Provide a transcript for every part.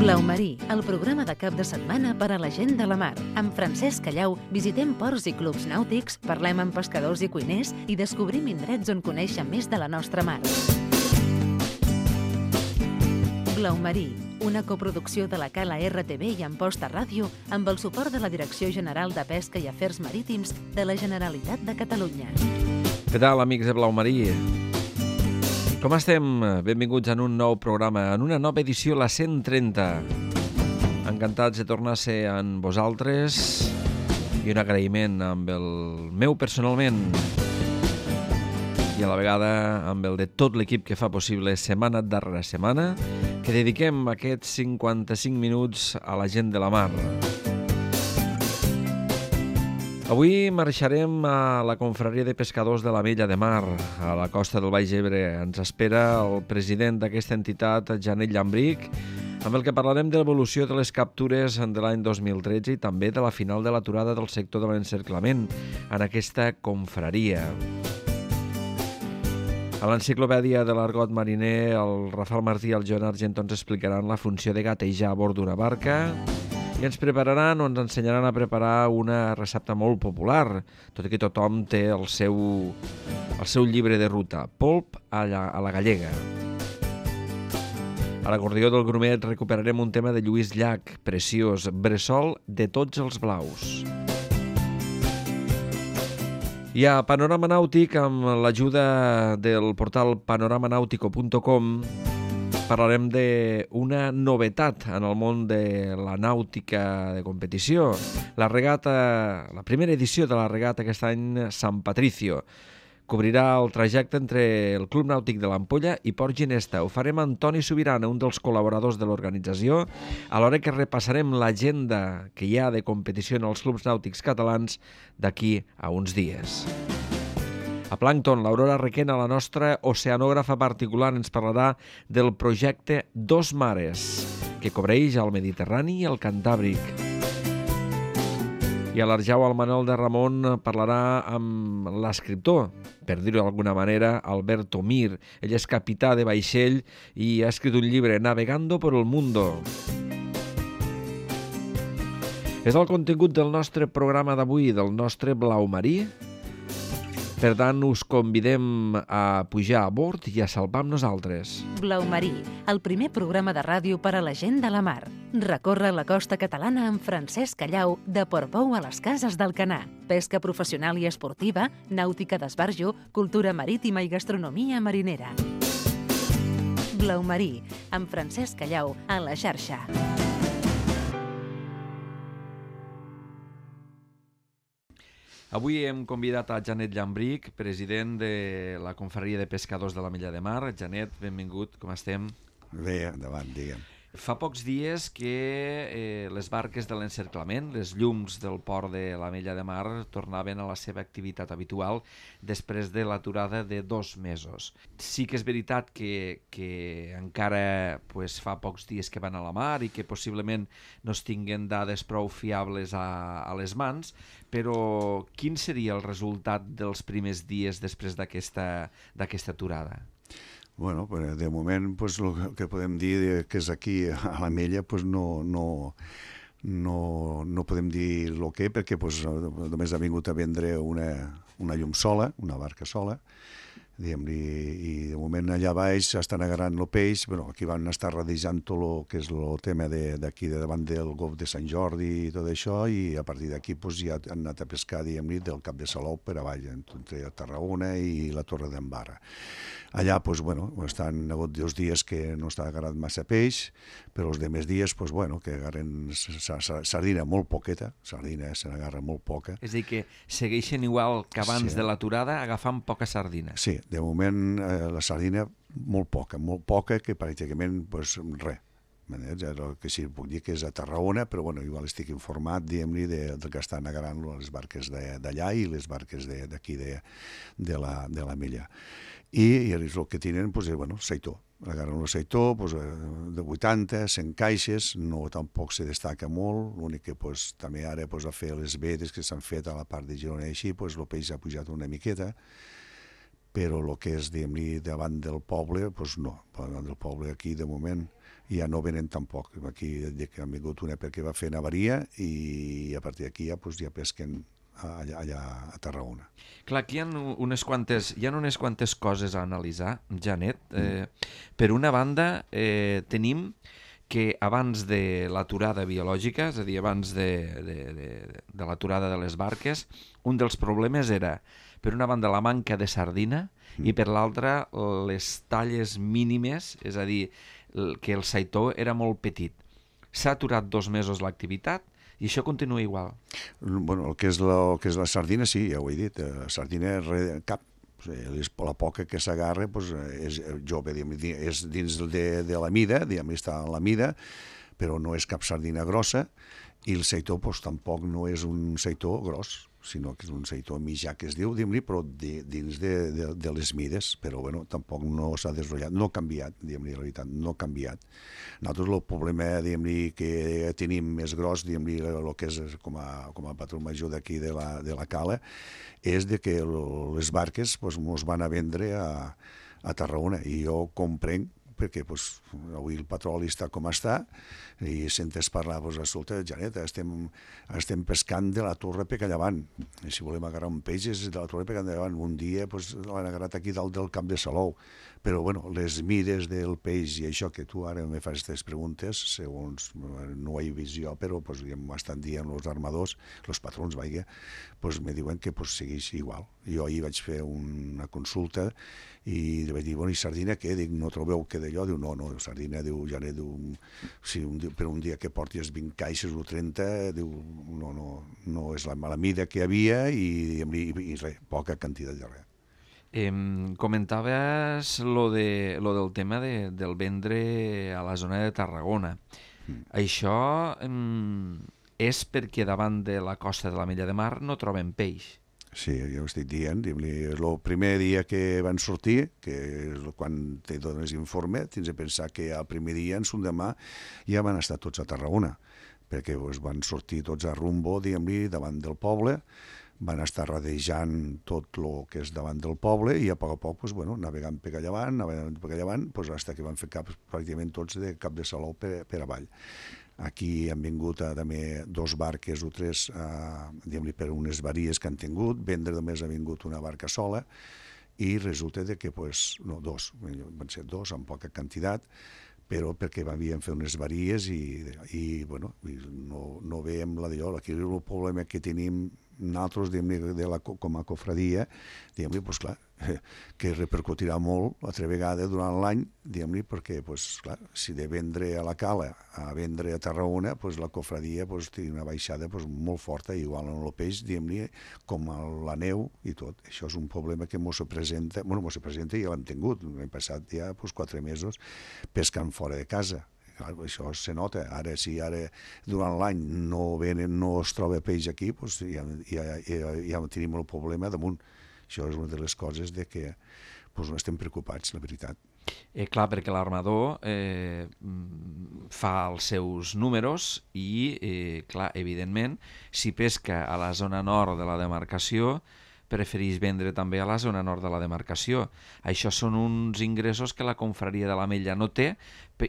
Blau Marí, el programa de cap de setmana per a la gent de la mar. Amb Francesc Callau visitem ports i clubs nàutics, parlem amb pescadors i cuiners i descobrim indrets on conèixer més de la nostra mar. Blau Marí, una coproducció de la Cala RTV i Amposta Ràdio amb el suport de la Direcció General de Pesca i Afers Marítims de la Generalitat de Catalunya. Què tal, amics de Blau Marí? Com estem? Benvinguts en un nou programa, en una nova edició, la 130. Encantats de tornar a ser amb vosaltres i un agraïment amb el meu personalment i a la vegada amb el de tot l'equip que fa possible setmana darrere setmana que dediquem aquests 55 minuts a la gent de la mar. Avui marxarem a la confraria de pescadors de la Vella de Mar, a la costa del Baix Ebre. Ens espera el president d'aquesta entitat, Janet Llambric, amb el que parlarem de l'evolució de les captures de l'any 2013 i també de la final de l'aturada del sector de l'encerclament en aquesta confraria. A l'enciclopèdia de l'argot mariner, el Rafael Martí i el Joan Argento ens explicaran la funció de gatejar a bord d'una barca i ens prepararan o ens ensenyaran a preparar una recepta molt popular, tot i que tothom té el seu llibre de ruta, polp a la gallega. A l'acordió del Grumet recuperarem un tema de Lluís Llach, preciós, bressol de tots els blaus. I a Panorama Nàutic, amb l'ajuda del portal panoramanautico.com, parlarem d'una novetat en el món de la nàutica de competició. La primera edició de la regata aquest any, Sant Patricio, cobrirà el trajecte entre el Club Nàutic de l'Ampolla i Port Ginesta. Ho farem amb Toni Subirana, un dels col·laboradors de l'organització, alhora que repassarem l'agenda que hi ha de competició en els clubs nàutics catalans d'aquí a uns dies. A Plàncton, l'Aurora Requena, la nostra oceanògrafa particular, ens parlarà del projecte Dos Mares, que cobreix el Mediterrani i el Cantàbric. I a l'Arjau, el Manol de Ramon parlarà amb l'escriptor, per dir-ho d'alguna manera, Alberto Mir. Ell és capità de vaixell i ha escrit un llibre, Navegando por el Mundo. És el contingut del nostre programa d'avui, del nostre Blau Marí. Per tant, us convidem a pujar a bord i a salvar amb nosaltres. Blau Marí, el primer programa de ràdio per a la gent de la mar. Recorre la costa catalana amb Francesc Callau, de Portbou a les Cases d'Alcanar. Pesca professional i esportiva, nàutica d'esbarjo, cultura marítima i gastronomia marinera. Blau Marí, amb Francesc Callau, a la xarxa. Avui hem convidat a Janet Llambric, president de la confraria de pescadors de la Vella de Mar. Janet, benvingut, com estem? Bé, endavant, digue'm. Fa pocs dies que les barques de l'encerclament, les llums del port de la Vella de Mar, tornaven a la seva activitat habitual després de l'aturada de 2 mesos. Sí que és veritat que encara fa pocs dies que van a la mar i que possiblement no es tinguen dades prou fiables a les mans, però quin seria el resultat dels primers dies després d'aquesta aturada? Bueno, de moment el que podem dir que és aquí a la Mella no podem dir el que, perquè només ha vingut a vendre una llum sola, una barca sola, i de moment allà baix estan agarrant el peix. Aquí van estar radejant tot el que és el tema d'aquí davant del Golf de Sant Jordi i tot això, i a partir d'aquí ja han anat a pescar del Cap de Salou per avall, entre Tarragona i la Torre d'en Barra. Allà estan hagut 2 dies que no està agarrat massa peix, però els demés dies que agarren sardina molt poqueta, sardina se n'agarra molt poca. És a dir, que segueixen igual que abans de l'aturada agafant poca sardina. Sí, de moment la sardina molt poca, que pràcticament res. El que sí puc dir que és a Tarragona, però igual estic informat, diguem-li, del que estan agarrant les barques d'allà i les barques d'aquí de la Mella. I el que tenen és seitó. Agarren un seitó de 80, 100 caixes, no tampoc se destaca molt, l'únic que també ara a fer les vedes que s'han fet a la part de Girona i així, el peix ha pujat una miqueta, però el que és, diguem-li, davant del poble, no. Davant del poble aquí, de moment, ja no venen tampoc. Aquí han vingut una perquè va fer avaria i a partir d'aquí ja pesquen allà a Tarragona. Clar, aquí hi ha unes quantes coses a analitzar, Janet. Per una banda, tenim que abans de l'aturada biològica, és a dir, abans de l'aturada de les barques, un dels problemes era, per una banda, la manca de sardina i per l'altra, les talles mínimes, és a dir, que el saitó era molt petit. S'ha aturat 2 mesos l'activitat i això continua igual. Bueno, el que és la sardina, sí, ja ho he dit. Sardina cap. La poca que s'agarra és jove, és dins de la mida, està a la mida, però no és cap sardina grossa, i el seitó tampoc no és un seitó gros, sinó que és un seitó mitjà que es diu, però dins de les mides, però bueno, tampoc no s'ha desenvolupat, no ha canviat, la veritat, no ha canviat. Nosaltres el problema que tenim més gros, el que és com a patró major d'aquí de la cala, és que les barques ens van a vendre a Tarragona, i jo comprenc, perquè avui el petroli està com està, i sentes parlar, escolta, Janet, estem pescant de la Torre Pecallavant, i si volem agarrar un peix és de la Torre Pecallavant, un dia l'han agarrat aquí dalt del Camp de Salou, però bueno, les mides del peix i això que tu ara me fas aquestes preguntes, segons no ho he vist jo, però m'estan dient els armadors, els patrons, me diuen que segueix igual. Jo ahir vaig fer una consulta i vaig dir, i sardina què? Dic, no trobeu que d'allò? Diu, no, sardina, Janet, per un dia que portis 20 caixes o 30, diu, no és la mida que hi havia i res, poca quantitat de res. Comentaves lo del tema del vendre a la zona de Tarragona. Això és perquè davant de la costa de l'Ametlla de Mar no troben peix. Sí, ja ho estic dient. El primer dia que van sortir, que és quan te dones informe, tens de pensar que el primer dia, en demà, ja van estar tots a Tarragona, perquè van sortir tots a rumbo, davant del poble, van estar rodejant tot el que és davant del poble i a poc navegant per allà avall, fins que van fer pràcticament tots de Cap de Salou per avall. Aquí han vingut també 2 barques o 3 per unes varies que han tingut, vendre només ha vingut una barca sola i resulta que, no, 2, van ser 2 amb poca quantitat, però perquè havien fet unes varies i no veiem la d'allò. Aquí el problema que tenim nosaltres com a cofradia, clar, que repercutirà molt altra vegada durant l'any, perquè, clar, si de vendre a la cala a vendre a Tarragona, la cofradia té una baixada molt forta, igual en el peix, com a la neu i tot. Això és un problema que mos se presenta, i ja l'hem tingut, hem passat ja 4 mesos pescant fora de casa. Clar, això se nota. Ara, si durant l'any no es troba peix aquí, ja tenim el problema damunt. Això és una de les coses que no estem preocupats, la veritat. Clar, perquè l'armador fa els seus números i, clar, evidentment, si pesca a la zona nord de la demarcació, prefereix vendre també a la zona nord de la demarcació. Això són uns ingressos que la confraria de l'Ametlla no té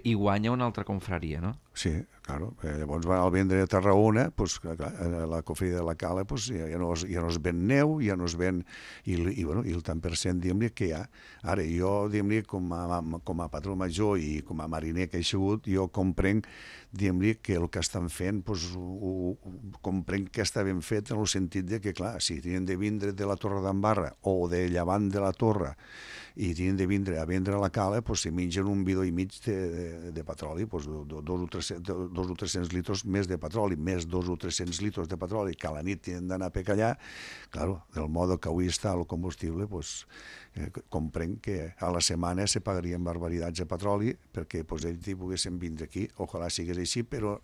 i guanya una altra confraria, no? Sí, claro. Llavors al vendre a Tarragona, la cofradia de la cala ja no es ven neu, ja no es ven i el tant per cent que hi ha. Ara, jo, com a patró major i com a mariner que he sigut, jo comprenc que el que estan fent, comprenc que està ben fet en el sentit que, clar, si tenen de vindre de la Torre d'Embarra o de llevant de la Torre i tenen de vindre a vendre a la cala, si mengen un bidó i mig de petroli, 200 o 300 litres més de petroli, més 200 o 300 litres de petroli que a la nit tenen d'anar a pecallar, clar, del modo que avui està el combustible, comprenc que a la setmana se pagarien barbaritats de petroli perquè ells poguessin vindre aquí. Ojalà sigués així, però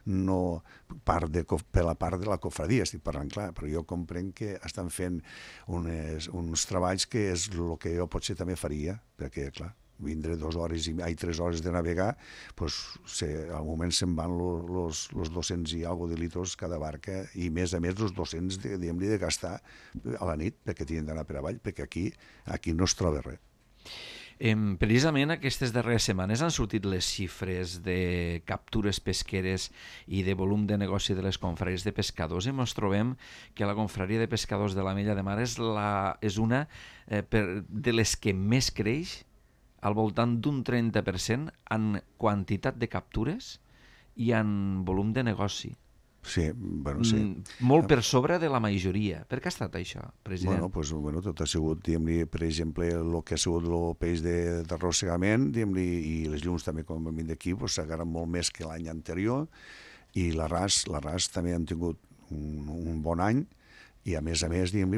no per la part de la cofradia, estic parlant clar, però jo comprenc que estan fent uns treballs que és el que jo potser també faria, perquè, clar, vindre 3 hores de navegar, al moment se'n van los 200 i alguna de litros cada barca i més a més els 200 de gastar a la nit perquè tenen d'anar per avall, perquè aquí no es troba res. Precisament aquestes darreres setmanes han sortit les xifres de captures pesqueres i de volum de negoci de les confraries de pescadors i ens trobem que la confraria de pescadors de l'Ametlla de Mar és una de les que més creix, al voltant d'un 30% en quantitat de captures i en volum de negoci. Sí, bueno, sí. Molt per sobre de la majoria. Per què ha estat això, president? Bueno, tot ha sigut, diguem-li, per exemple, el que ha sigut el peix d'arrossegament, diguem-li, i les llums també, com hem dit d'aquí, s'agarren molt més que l'any anterior, i l'arràs també han tingut un bon any, i a més, diguem-li,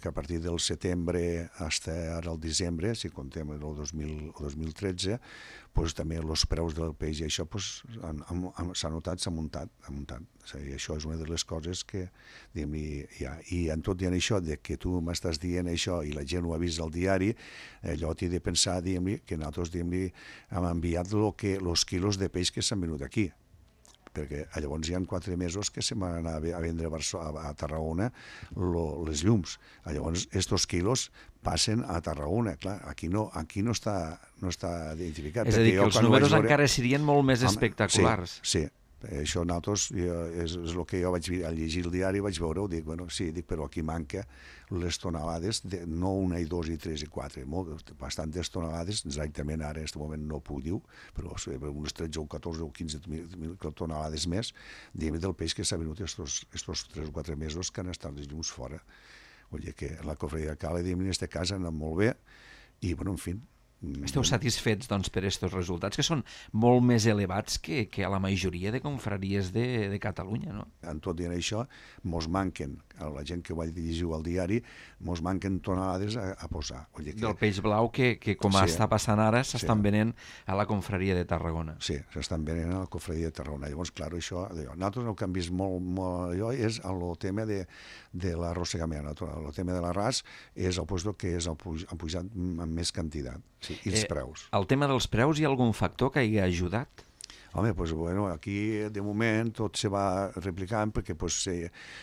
que a partir del setembre fins ara el desembre, si comptem el 2013, també els preus del peix i això s'ha notat, s'ha muntat. I això és una de les coses que, diguem-li, hi ha. I en tot dient això, que tu m'estàs dient això i la gent ho ha vist al diari, allò t'he de pensar, diguem-li, que nosaltres, diguem-li, hem enviat els quilos de peix que s'han venut aquí, perquè llavors hi ha 4 mesos que se'n van anar a vendre a Tarragona les llums. Llavors, aquests quilos passen a Tarragona. Clar, aquí no està identificat. És a dir, que els números encara serien molt més espectaculars. Sí. Això nosaltres, és el que jo vaig llegir el diari, vaig veure-ho, dic, però aquí manca les tonelades, no una i dos i tres i quatre, bastantes tonelades, exactament ara en aquest moment no puc dir, però unes 13 o 14 o 15 tonelades més, del peix que s'ha venut estos 3 o 4 mesos que han estat les llums fora. Vull dir que la cofreria de Cala, en aquest cas, ha anat molt bé, i, bueno, en fi, esteu satisfets, doncs, per aquests resultats, que són molt més elevats que a la majoria de confraries de Catalunya, no? En tot dient això, mos manquen, a la gent que ho va llegir al diari, mos manquen tonelades a posar. Del peix blau que com està passant ara, s'estan venent a la confraria de Tarragona. Sí, s'estan venent a la confraria de Tarragona. Llavors, clar, això, nosaltres el que hem vist molt allò és el tema de l'arrossegament. El tema de l'arràs és el lloc que han pujat amb més quantitat. Sí, i els preus. El tema dels preus, hi ha algun factor que hi ha ajudat? Home, aquí de moment tot se va replicant perquè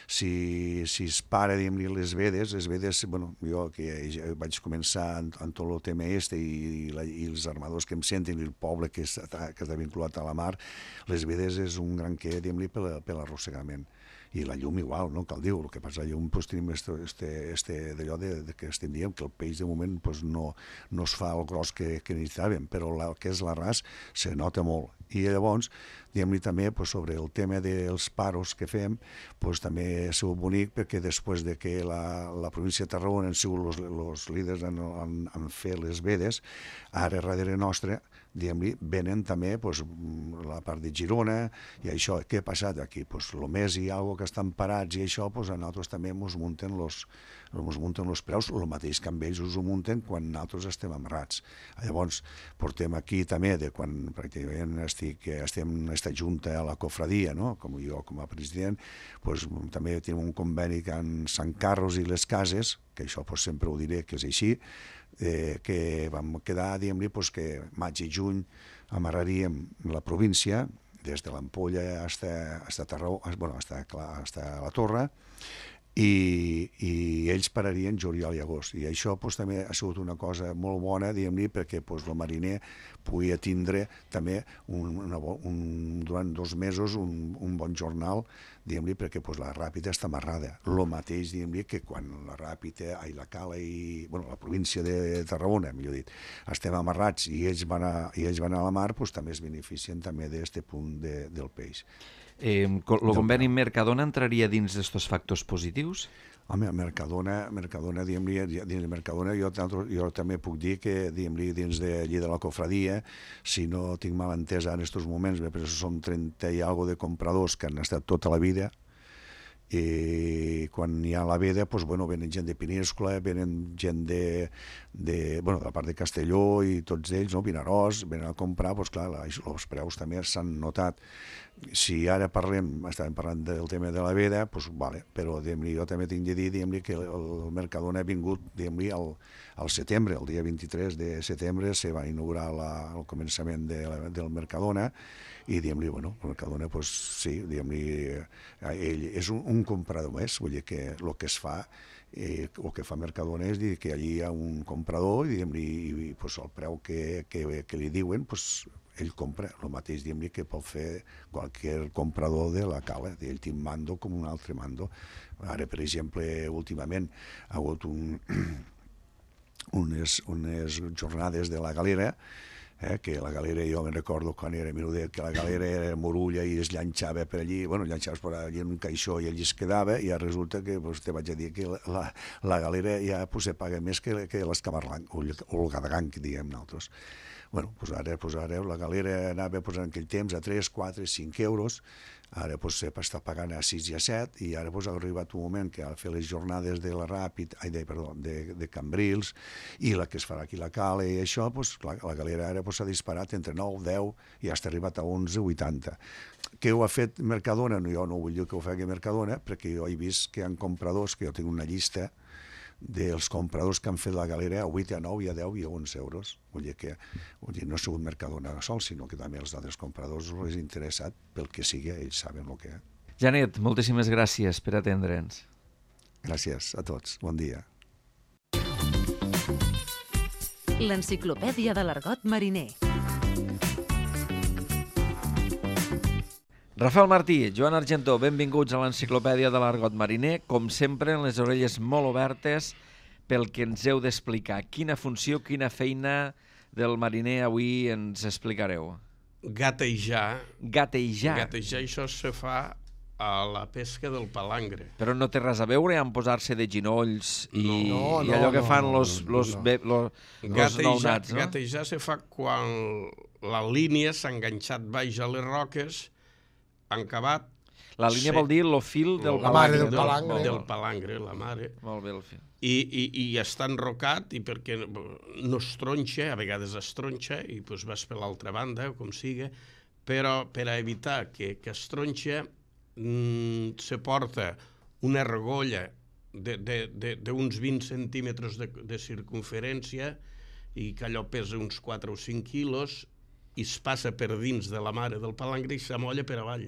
si es para, diguem-li, les vedes, jo que vaig començar en tot el tema i els armadors que em senten i el poble que està vinculat a la mar, les vedes és un gran què, diguem-li, per l'arrossegament. I la llum igual, no cal dir, el que passa, la llum tenim d'allò que estem dient, que el peix de moment no es fa el gros que necessitàvem, però el que és l'arràs se nota molt. I llavors, diguem-li també, sobre el tema dels paros que fem, també ha sigut bonic perquè després de que la província de Tarragona han sigut els líders en fer les vedes, ara darrere nostre, diguem-li, venen també la part de Girona i això. Què ha passat aquí? El mes i alguna que estan parats i això, a nosaltres també ens munten els preus, el mateix que amb ells us ho munten quan nosaltres estem amarrats. Llavors, portem aquí també, quan pràcticament estem en aquesta junta a la cofradia, com jo com a president, també tenim un conveni amb Sant Carros i les Cases, que això sempre ho diré que és així, que vam quedar, diguem-li, que maig i juny amarraríem la província, des de l'Ampolla fins a la Torre, i ells pararien juliol i agost. I això també ha sigut una cosa molt bona, diguem-li, perquè el mariner podia tindre també durant 2 mesos un bon jornal, diguem-li, perquè la Ràpita està amarrada. El mateix, diguem-li, que quan la Ràpita, la Cala i la província de Tarragona, millor dit, estem amarrats i ells van a la mar, també es beneficien també d'aquest punt del peix. El conveni Mercadona entraria dins d'aquests factors positius? Home, Mercadona, diguem-li, dins de Mercadona jo també puc dir que, diguem-li, dins d'allí de la cofradia, si no tinc mal entès en aquests moments, però són 30 i alguna de compradors que han estat tota la vida, i quan hi ha la veda, venen gent de Peníscola, venen gent de la part de Castelló i tots ells, Vinaròs, venen a comprar, clar, els preus també s'han notat. Si ara estàvem parlant del tema de la veda, vale, però jo també tinc de dir que el Mercadona ha vingut al setembre, el dia 23 de setembre se va inaugurar el començament del Mercadona i el Mercadona, sí, ell és un un comprador més, vull dir que el que es fa, el que fa Mercadona és dir que allí hi ha un comprador i pues, el preu que li diuen, pues, ell compra el mateix que pot fer qualsevol comprador de la cala. Ell té un mando com un altre mando. Ara, per exemple, últimament ha hagut unes jornades de la galera, que la galera, jo me'n recordo quan era menudet, que la galera era morulla i es llançava per allí, llançaves per allí en un caixó i allí es quedava, i ara resulta que te vaig a dir que la galera ja se paga més que l'escamarlanc, o el gadagant, que diguem nosaltres. Ara la galera anava en aquell temps a 3, 4, 5 euros, ara està pagant a 6 i a 7, i ara ha arribat un moment que ha de fer les jornades de la Ràpid, de Cambrils, i la que es farà aquí la Cala i això, la galera ara s'ha disparat entre 9, 10 i ha arribat a 11, 80. Què ho ha fet Mercadona? Jo no vull dir que ho faci Mercadona, perquè jo he vist que hi ha compradors, que jo tinc una llista dels compradors que han fet la galera a 8, a 9, i a 10 i a 11 euros. Vull dir que no ha sigut Mercadona sol, sinó que també els altres compradors els és interessat pel que sigui, ells saben el que és. Janet, moltíssimes gràcies per atendre'ns. Gràcies a tots, bon dia. L'enciclopèdia de l'argot mariner. Rafael Martí, Joan Argentó, benvinguts a l'enciclopèdia de l'argot mariner. Com sempre, amb les orelles molt obertes pel que ens heu d'explicar. Quina funció, quina feina del mariner avui ens explicareu? Gatejar. Gatejar. Gatejar, això se fa a la pesca del palangre. Però no té res a veure amb posar-se de ginolls i allò que fan los nounats, no? Gatejar se fa quan la línia s'ha enganxat baix a les roques, han acabat... La línia vol dir el fil del palangre. palangre. Del palangre, la mare. Molt bé, el fil. I està enrocat, i perquè no es tronxa, a vegades es tronxa, i vas per l'altra banda, com sigui, però per a evitar que es tronxa, se porta una argolla d'uns 20 centímetres de circunferència, i que allò pesa uns 4 o 5 quilos, i es passa per dins de la mare del palangre i s'amolla per avall.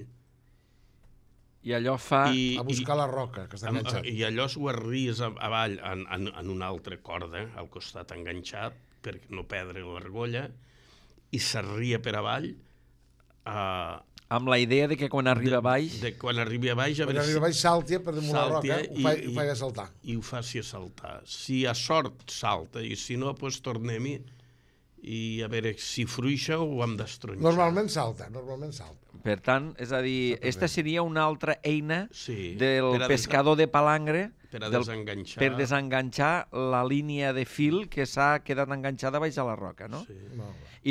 I allò fa... A buscar la roca, que està enganxat. I allò s'ho arries avall en una altra corda, al costat enganxat, per no perdre l'argolla, i s'arria per avall. Amb la idea de que quan arriba a baix... Quan arribi a baix... Quan arriba a baix salti per damunt la roca, ho faig a saltar. I ho faci a saltar. Si a sort salta, i si no, doncs tornem-hi, i a veure si fruixa o ho hem d'estronxar. Normalment salta. Per tant, és a dir, aquesta seria una altra eina del pescador de palangre per desenganxar la línia de fil que s'ha quedat enganxada baix a la roca, no? Sí.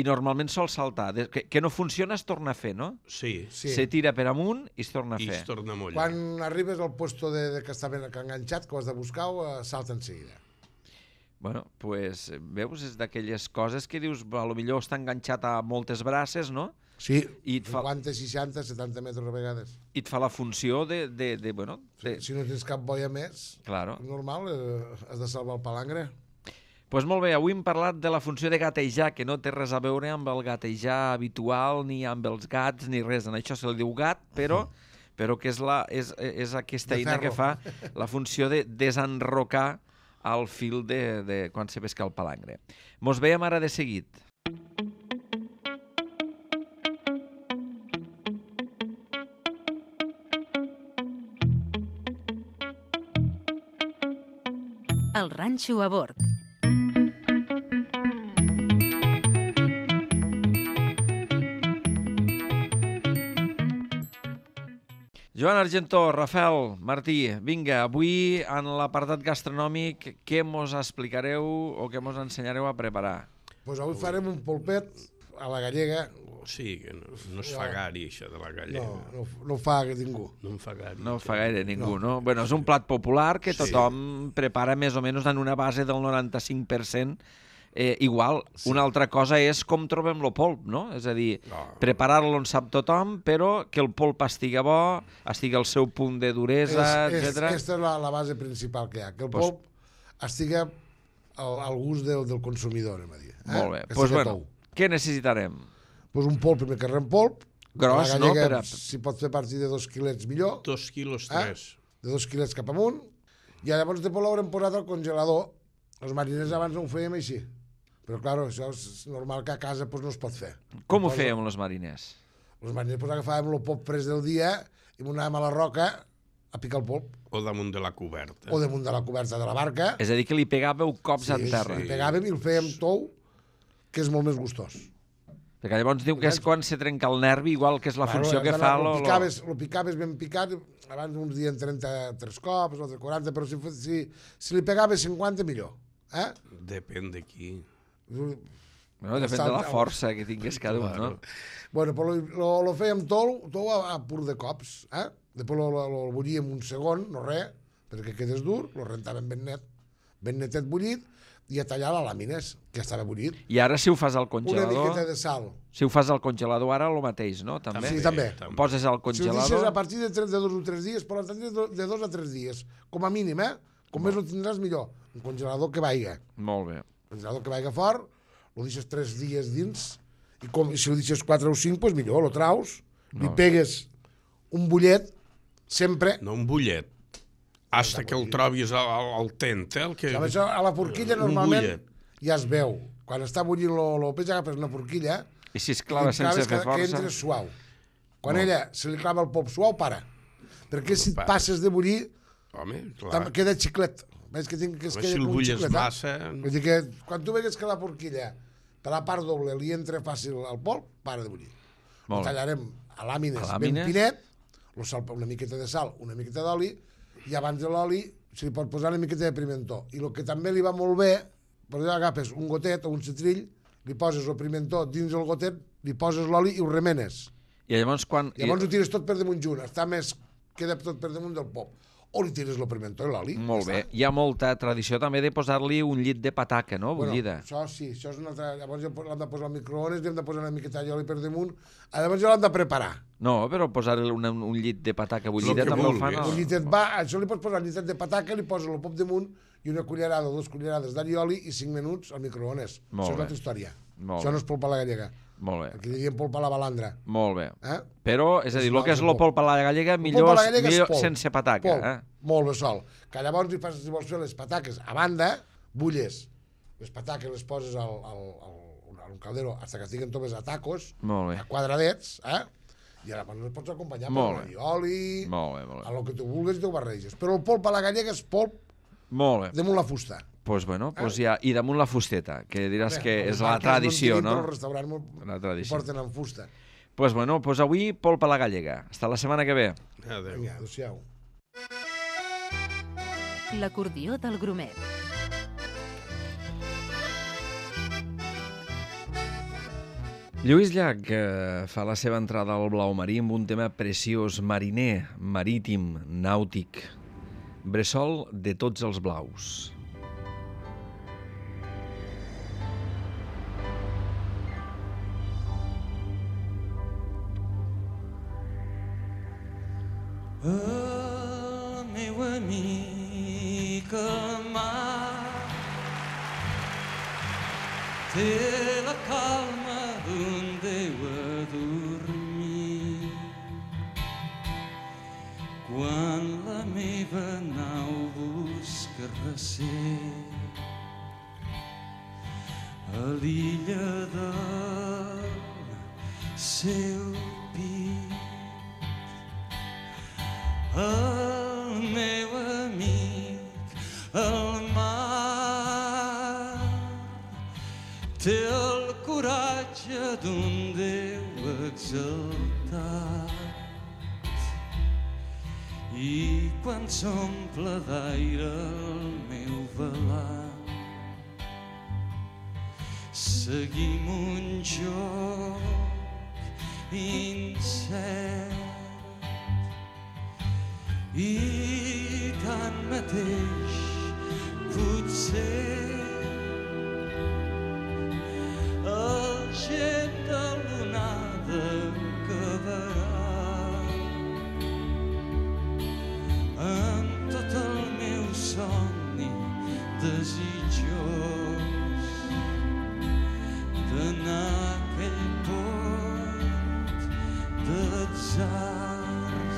I normalment sol saltar. Que no funciona es torna a fer, no? Sí. Se tira per amunt i es torna a fer. I es torna a mullar. Quan arribes al puesto que està ben enganxat, que ho has de buscar, salta en seguida. Bueno, doncs, veus, és d'aquelles coses que dius, potser està enganxat a moltes braces, no? Sí, 50, 60, 70 metres a vegades. I et fa la funció de Si no tens cap boia més, normal, has de salvar el palangre. Doncs molt bé, avui hem parlat de la funció de gatejar, que no té res a veure amb el gatejar habitual, ni amb els gats, ni res. En això se li diu gat, però que és aquesta eina que fa la funció de desenrocar al fil de quan se pesca el palangre. Mos veiem ara de seguit. El ranxo a bord. Joan Argentó, Rafael Martí, vinga, avui en l'apartat gastronòmic què mos explicareu o què mos ensenyareu a preparar? Doncs avui farem un polpet a la gallega. Sí, que no es fa gaire, això de la gallega. No ho fa ningú. No en fa gaire. No ho fa gaire ningú, no? Bueno, és un plat popular que tothom prepara més o menys en una base del 95%. Igual, una altra cosa és com trobem el polp, no? És a dir, preparar-lo en sap tothom, però que el polp estigui bo, estigui al seu punt de duresa, etc. Aquesta és la base principal que hi ha, que el polp estigui al gust del consumidor, anem a dir. Molt bé, doncs bueno, què necessitarem? Doncs un polp, primer que rem polp. Gros, no? Si pot fer partir de 2 quilets, millor. 2 quilos, 3. de 2 quilets cap amunt, i llavors després l'haurem posat al congelador. Els mariners abans no ho fèiem així. Però, clar, això és normal que a casa no es pot fer. Com ho fèiem, els mariners? Els mariners agafàvem el pop pres del dia i anàvem a la roca a picar el polp. O damunt de la coberta. O damunt de la coberta de la barca. És a dir, que li pegàveu cops en terra. Sí, pegàvem i el fèiem tou, que és molt més gustós. Perquè llavors diu que és quan se trenca el nervi, igual que és la funció que fa... Lo picaves ben picat, abans uns dien 33 cops, altres 40, però si li pegaves 50, millor. Depèn de qui. Bueno, depèn de la força que tingués cada un, no? Bueno, però lo fèiem tou a pur de cops, Després lo bullíem un segon, no res, perquè quedés dur, lo rentàvem ben netet bullit, i a tallar les làmines, que estava bullit. I ara si ho fas al congelador... Una miqueta de sal. Si ho fas al congelador ara, el mateix, no? També? Sí, també. Ho poses al congelador... Si ho deixes a partir de 2 o 3 dies, per tant, de 2 a 3 dies, com a mínim, Com més ho tindràs, millor. Un congelador que vaiga. Molt bé. Un congelador que vaiga fort, ho deixes 3 dies dins, i si ho deixes 4 o 5, doncs millor, lo traus, li pegues un bullet, sempre... No un bullet. Hasta que el trobis al tent, el que... Això, a la forquilla normalment ja es veu. Quan està bullint el peix agafes una forquilla i si es clava sense fer força... Que entra suau. Quan ella se li clava el polp suau, para. Perquè si et passes de bullir, queda xiclet. Veus que es queda si el com un bulles xiclet. massa... Vull dir que quan tu vegues que la forquilla per la part doble li entra fàcil al polp, para de bullir. Ho tallarem a làmines ben finet, una miqueta de sal, una miqueta d'oli, i abans de l'oli se li pot posar una miqueta de pimentó. I el que també li va molt bé, per allò agafes un gotet o un citrill, li poses el pimentó dins el gotet, li poses l'oli i ho remenes. I llavors quan... Llavors ho tires tot per damunt junt, queda tot per damunt del pop. O li tires el pimentó i l'oli. Molt bé. Hi ha molta tradició també de posar-li un llit de pataca, no? Bullida. Això sí, això és una altra... Llavors l'hem de posar al microones, hem de posar una miqueta d'oli per damunt, llavors ja l'hem de preparar. No, però posar-li un llit de pataca bullida també ho fan. Un llitet va, això li pots posar un llitet de pataca, li poses el pop damunt i una cullerada o 2 cullerades d'all i oli i 5 minuts al microones. Això és una altra història. Això no és polpa a la gallega. Molt bé. Aquí diríem polpa a la balandra. Molt bé. Però, és a dir, el que és la polpa a la gallega, millor sense pataca. Molt bé sol. Que llavors, si vols fer les pataques a banda, bulles. Les pataques les poses a un caldero fins que estiguen totes a tacos, a quadradets, i llavors les pots acompanyar amb oli, amb el que tu vulguis i tu ho barreges. Però el polp a la gallega és polp damunt la fusta. Doncs bueno, i damunt la fusteta, que diràs que és la tradició, no? Però al restaurant ho porten amb fusta. Doncs bueno, avui polpa a la gallega. Hasta la setmana que ve. Adéu. Adéu-siau. L'acordió del Grumet. Lluís Llach fa la seva entrada al blau marí amb un tema preciós, mariner, marítim, nàutic, bressol de tots els blaus. El meu amic el mar té la calma d'un Déu a dormir. Quan la meva nau busca recer a l'illa del seu pit, el meu amic, el mar, té el coratge d'un Déu exaltat. I quan s'omple d'aire el meu velant, seguim un joc incert. I tanmateix potser el gep de l'onada acabarà amb tot el meu somni desitjós d'anar a aquell port d'atzars.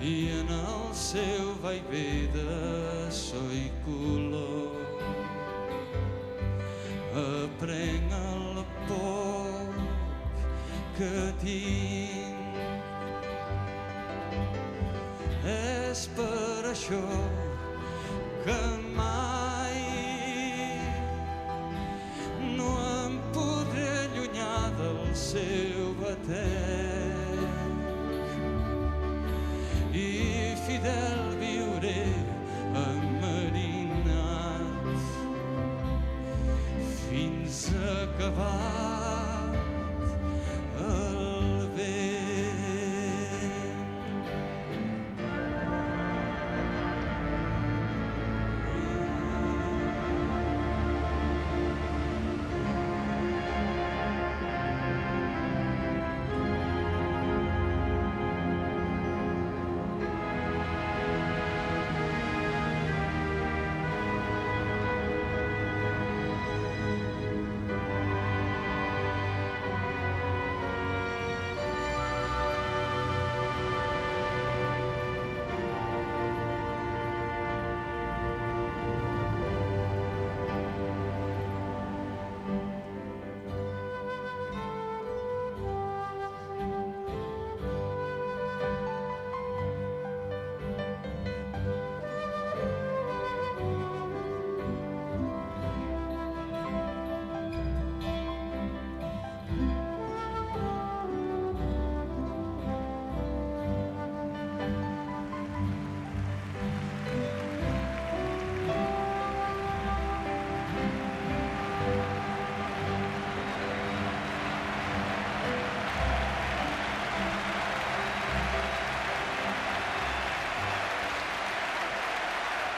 i en el seu vaivé de so i color aprenc el poc que tinc. És per això que mai no em podré allunyar del seu batec i fidel viuré enmarinat fins a acabat el vent.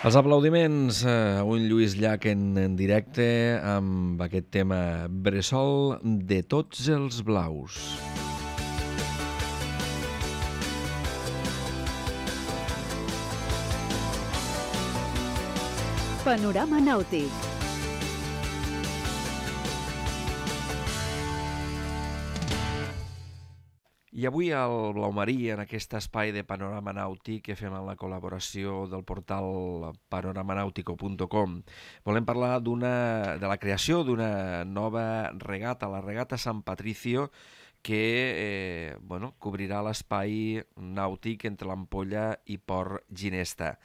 Els aplaudiments a un Lluís Llach en directe amb aquest tema Bressol de tots els blaus. Panorama nàutic. I avui al Blau Marí, en aquest espai de Panorama Nàutic que fem amb la col·laboració del portal panoramanautico.com, volem parlar de la creació d'una nova regata, la regata San Patricio, que cobrirà l'espai nàutic entre l'Ampolla i Port Ginesta.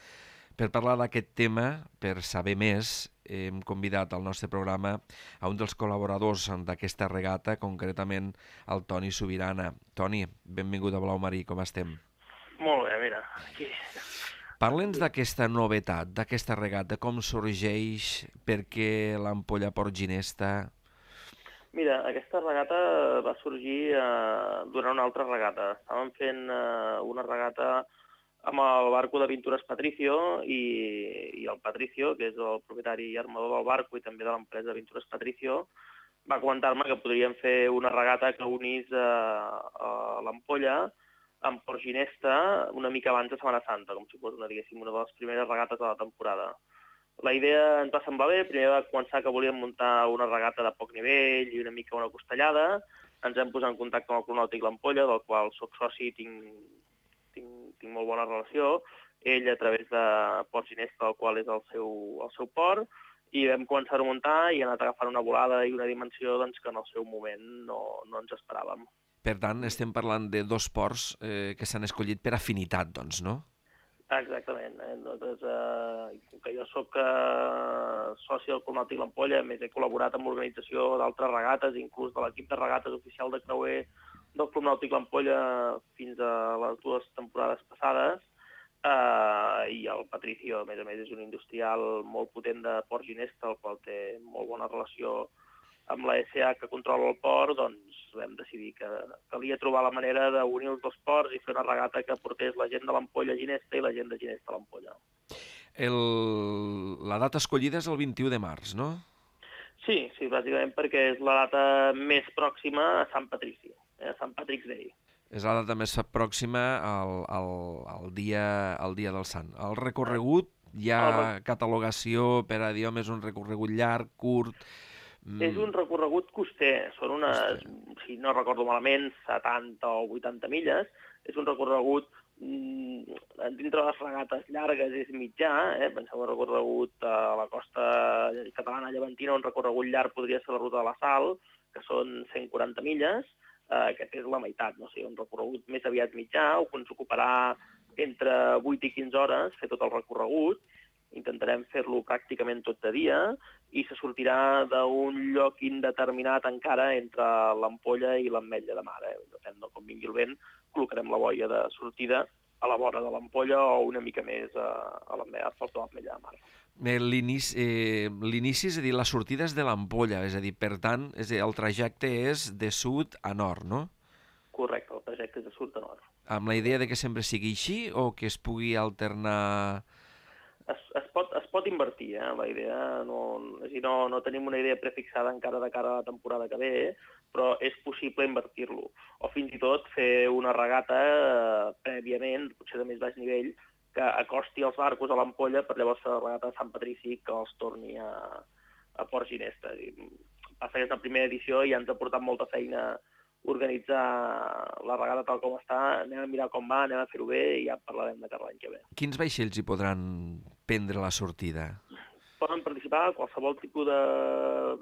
Per parlar d'aquest tema, per saber més, hem convidat al nostre programa a un dels col·laboradors d'aquesta regata, concretament el Toni Subirana. Toni, benvingut a Blau Marí, com estem? Molt bé, mira, aquí. Parla'ns d'aquesta novetat, d'aquesta regata, com sorgeix, per què l'Ampolla Port Ginesta? Mira, aquesta regata va sorgir durant una altra regata. Estàvem fent una regata amb el barco de Pintures Patricio i el Patricio, que és el propietari i armador del barco i també de l'empresa Pintures Patricio, va comentar-me que podríem fer una regata que unís a l'Ampolla amb Port Ginesta una mica abans de Setmana Santa, com si fos una de les primeres regates de la temporada. La idea ens va semblar bé, primer va començar que volíem muntar una regata de poc nivell i una mica una costellada, ens vam posar en contacte amb el Club Nàutic l'Ampolla, del qual soc soci i tinc molt bona relació, ell a través de Port Ginesta, el qual és el seu port, i vam començar a muntar i ha anat agafant una volada i una dimensió que en el seu moment no ens esperàvem. Per tant, estem parlant de dos ports que s'han escollit per afinitat, doncs, no? Exactament. Doncs, com que jo soc soci del Club Nàutic l'Ampolla, a més he col·laborat amb l'organització d'altres regates, inclús de l'equip de regates oficial de creuer del Club Nàutic l'Ampolla fins a les 2 temporades passades, i el Patricio, a més, és un industrial molt potent de Port Ginesta, el qual té molt bona relació amb la SA que controla el port, doncs vam decidir que calia trobar la manera d'unir els dos ports i fer una regata que portés la gent de l'Ampolla a Ginesta i la gent de Ginesta a l'Ampolla. La data escollida és el 21 de març, no? Sí, bàsicament perquè és la data més pròxima a Sant Patrici, a Sant Patrick's Day. És la data més pròxima al dia del Sant. El recorregut, hi ha catalogació per a dir, home, és un recorregut llarg, curt, És un recorregut coster, són unes, si no recordo malament, 70 o 80 milles. És un recorregut, dintre les regates llargues és mitjà, penseu un recorregut a la costa catalana llevantina, un recorregut llarg podria ser la ruta de la Sal, que són 140 milles, aquest és la meitat, no sé, un recorregut més aviat mitjà, que ens ocuparà entre 8 i 15 hores fer tot el recorregut. Intentarem fer-lo pràcticament tot de dia i se sortirà d'un lloc indeterminat encara entre l'Ampolla i l'Ametlla de Mar. Depèn de com vingui el vent, col·locarem la boia de sortida a la vora de l'Ampolla o una mica més a l'Ametlla de Mar. L'inici, és a dir, la sortida és de l'Ampolla, és a dir, per tant, el trajecte és de sud a nord, no? Correcte, el trajecte és de sud a nord. Amb la idea de que sempre sigui així o que es pugui alternar... Es pot invertir, la idea, no tenim una idea prefixada encara de cara a la temporada que ve, però és possible invertir-lo. O fins i tot fer una regata prèviament, potser de més baix nivell, que acosti els barcos a l'Ampolla per llavors fer la regata de Sant Patrici que els torni a Port Ginesta. Passa que és la primera edició i ens ha portat molta feina organitzar la regata tal com està, anem a mirar com va, anem a fer-ho bé i ja parlarem de cara l'any que ve. Quins vaixells hi podran prendre la sortida? Poden participar qualsevol tipus de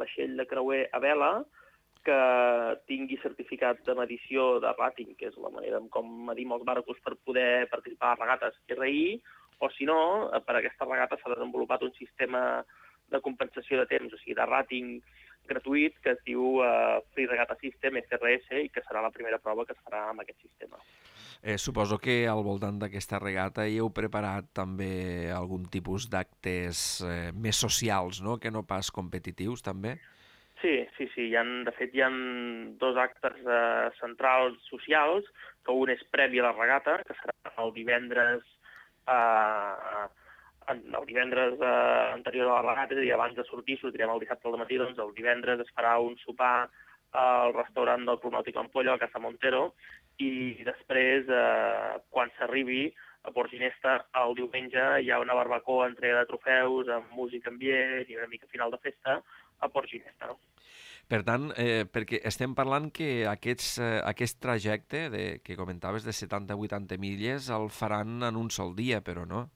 vaixell de creuer a vela que tingui certificat de medició de rating, que és la manera com medim els barcos per poder participar a regates RI, o si no, per a aquesta regata s'ha desenvolupat un sistema de compensació de temps, o sigui, de rating gratuït que es diu Free Regatta System, FRS, i que serà la primera prova que es farà amb aquest sistema. Suposo que al voltant d'aquesta regata hi heu preparat també algun tipus d'actes més socials, no?, que no pas competitius, també? Sí. De fet, hi ha 2 actes centrals socials, que un és previ a la regata, que serà el divendres anterior a la regata, és a dir, abans de sortir, sortirem el dissabte al matí, doncs el divendres es farà un sopar al restaurant del Club Nàutic Ampolla, a Casa Montero, i després, quan s'arribi a Port Ginesta, el diumenge hi ha una barbacoa, entrega de trofeus, amb música ambient i una mica final de festa a Port Ginesta. Per tant, perquè estem parlant que aquest trajecte que comentaves de 70-80 milles el faran en un sol dia, però no?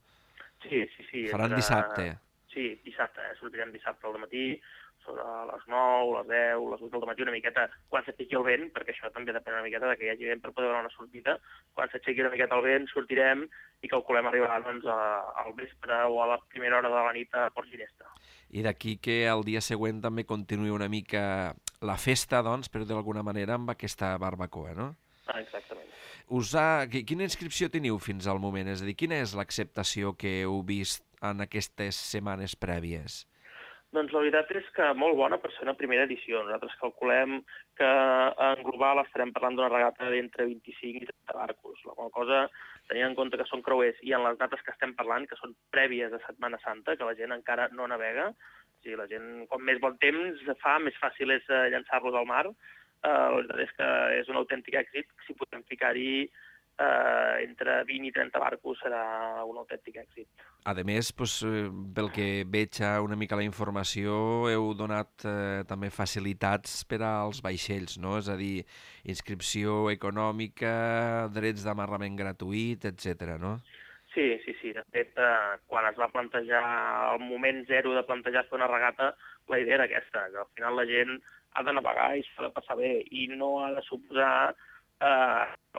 Sí. Faran dissabte. Sí, dissabte. Sortirem dissabte al matí, sobre les 9, les 10, les 8 del matí, una miqueta, quan s'aixequi el vent, perquè això també depèn una miqueta que hi hagi vent per poder donar una sortida. Quan s'aixequi una miqueta el vent, sortirem i calculem arribar doncs, al vespre o a la primera hora de la nit a Port Ginesta. I d'aquí que el dia següent també continuï una mica la festa, doncs, però d'alguna manera amb aquesta barbacoa, no? Exactament. Quina inscripció teniu fins al moment? És a dir, quina és l'acceptació que heu vist en aquestes setmanes prèvies? Doncs la veritat és que molt bona per ser una primera edició. Nosaltres calculem que en global estarem parlant d'una regata d'entre 25 i 30 barcos. La qual cosa, tenint en compte que són creuers i en les dates que estem parlant, que són prèvies a Setmana Santa, que la gent encara no navega, o sigui, la gent, com més bon temps fa, més fàcil és llançar-los al mar. La veritat és que és un autèntic èxit. Si podem ficar-hi entre 20 i 30 barcos serà un autèntic èxit. A més, pel que veig una mica la informació, heu donat també facilitats per als vaixells, no? És a dir, inscripció econòmica, drets d'amarrament gratuït, etc., no? Sí. De fet, quan es va plantejar el moment zero de plantejar fer una regata, la idea era aquesta, que al final la gent ha de navegar i s'ha de passar bé i no ha de suposar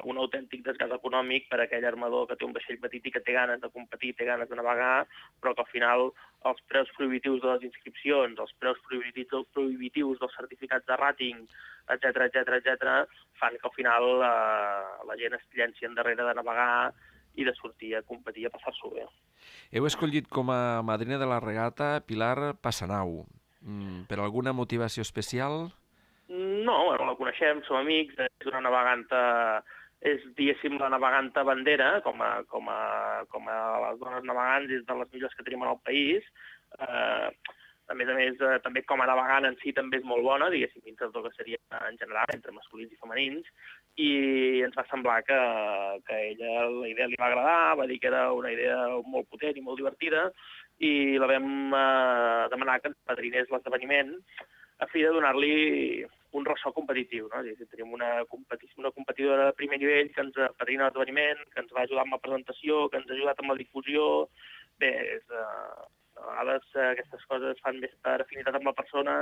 un autèntic desgast econòmic per a aquell armador que té un vaixell petit i que té ganes de competir, té ganes de navegar, però que al final els preus prohibitius de les inscripcions, els preus prohibitius dels certificats de rating, etc., fan que al final la gent es llenci endarrere de navegar i de sortir a competir, a passar-s'ho bé. Heu escollit com a madrina de la regata Pilar Passanau. Per alguna motivació especial? No, la coneixem, som amics, és una naveganta, és, diguéssim, la naveganta bandera, com a les dones navegants, és de les millors que tenim en el país. A més, també com a navegant en si també és molt bona, diguéssim, dintre del que seria en general, entre masculins i femenins, i ens va semblar que a ella la idea li va agradar, va dir que era una idea molt potent i molt divertida, i la vam demanar que ens padrinés l'esdeveniment. a fi de donar-li un ressò competitiu, no? És a dir, tenim una competidora de primer nivell que ens patrocina l'esdeveniment, que ens va ajudar amb la presentació, que ens ha ajudat amb la difusió. Bé, a vegades aquestes coses fan més per afinitat amb la persona